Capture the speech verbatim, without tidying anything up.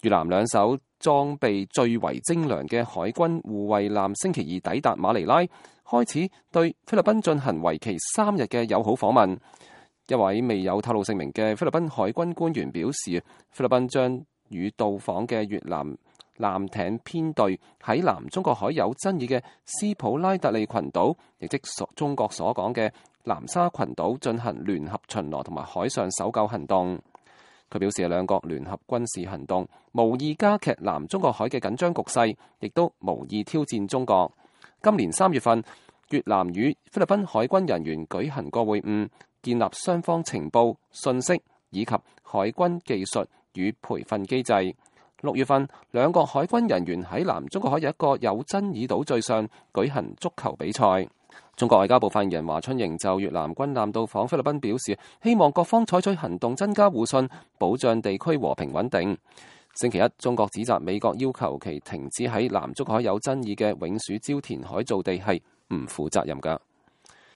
越南兩艘裝備最為精良嘅海軍護衛艦星期二抵達馬尼拉，開始對菲律賓進行為期三日嘅友好訪問。一位未有透露姓名嘅菲律賓海軍官員表示，菲律賓將與到訪嘅越南艦艇編隊喺南中國海有爭議嘅斯普拉特利群島，亦即所中國所講嘅南沙群島進行聯合巡邏同埋海上搜救行動。佢表示，兩國聯合軍事行動無意加劇南中國海嘅緊張局勢，亦都無意挑戰中國。今年三月份，越南與菲律賓海軍人員舉行過會晤，建立雙方情報、信息以及海軍技術與培訓機制。六月份，兩國海軍人員喺南中國海有一個有爭議島嶼上舉行足球比賽。中國外交部發言人華春瑩就越南軍艦到訪菲律賓表示，希望各方採取行動增加互信，保障地區和平穩定。星期一，中國指責美國要求其停止喺南中國海有爭議嘅永暑礁填海造地係唔負責任㗎。